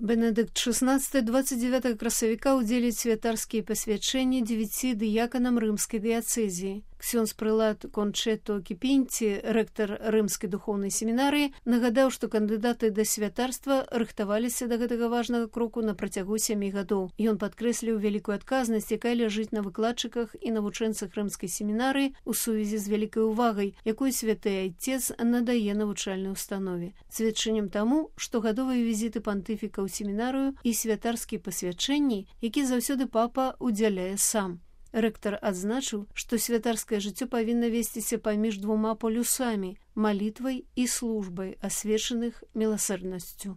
Бенедыкт XVI 29 красавіка ўдзеліць святарскія пасвячэнні 9 дыяканам рымскай дыяцэзіі. Ксёндз-прылад Кончето Кіпінці, рэктар рымскай духоўнай семінарыі, нагадаў, што кандыдаты да святарства рыхтаваліся да гэтага важнага кроку на працягу 7 гадоў. Ён падкрэсліў вялікую адказнасць, якая ляжыць на выкладчыках і навучэнцах рымскай семінарыі ў сувязі з вялікай увагай, якую святы айцец надае навучальнай установе. Сведчаннем таму, што гадовыя візіты пантыфіка ў семінарыю і святарскія пасвячэнні, які заўсёды папа удзяляе сам. Рэктар адзначыў, што святарскае жыццё павінна весціся паміж двума полюсамі – малітвай і службай, асвечаных міласэрнасцю.